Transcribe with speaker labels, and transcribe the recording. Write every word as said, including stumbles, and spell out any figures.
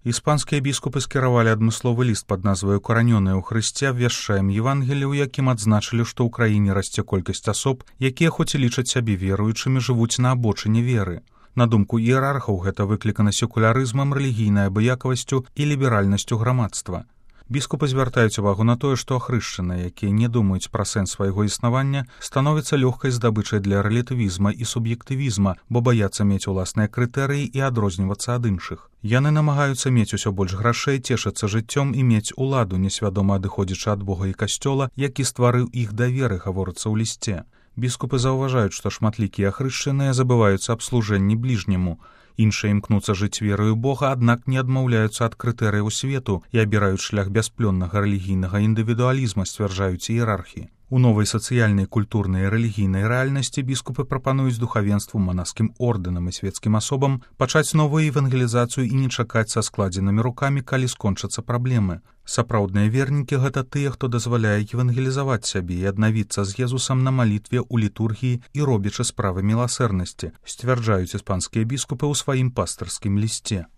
Speaker 1: Іспанскія біскупы скіравалі адмысловы ліст пад назваю «Укаранёныя ў Хрысце» абвяшчаем Евангелі, у якім адзначылі, што ў краіне расце колькасць асоб, якія хоць і лічаць сябе веруючымі, жывуць на абочыне веры. На думку іерархаў, гэта выклікана секулярызмам, рэлігійнай абыякавасцю і ліберальнасцю грамадства. Біскупы звяртаюць увагу на тое, што ахрышчаныя, якія не думаюць пра сэнс свайго існавання, становяцца лёгкай здабычай для рэлятывізма і суб'ектывізма, бо баяцца мець уласныя крытэрыі і адрознівацца ад іншых. Яны намагаюцца мець усё больш грашэй, цешыцца жыццём і мець уладу, несвядома адыходзячы ад Бога і касцёла, які стварыў іх даверы, гаворыцца ў лісце. Біскупы заўважаюць, што шматлікія ахрышчаныя забываюцца аб служэнні бліжняму. Іншыя імкнуцца жыць верою Бога, аднак не адмаўляюцца ад крытэрыяў свету і абіраюць шлях бясплённага рэлігійнага індывідуалізма, сцвярджаюць іерархі. У новай сацыяльнай, культурнай і рэлігійнай рэальнасці біскупы прапануюць духавенству, манаскім ордэнам і свецкім асобам пачаць новую евангелізацыю і не чакаць са складзенымі рукамі, калі скончацца праблемы. Сапраўдныя вернікі — гэта тыя, хто дазваляе евангелізаваць сябе і аднавіцца з Езусам на малітве, у літургіі і робячы справы міласэрнасці, сцвярджаюць іспанскія біскупы ў сваім пастырскім лісце.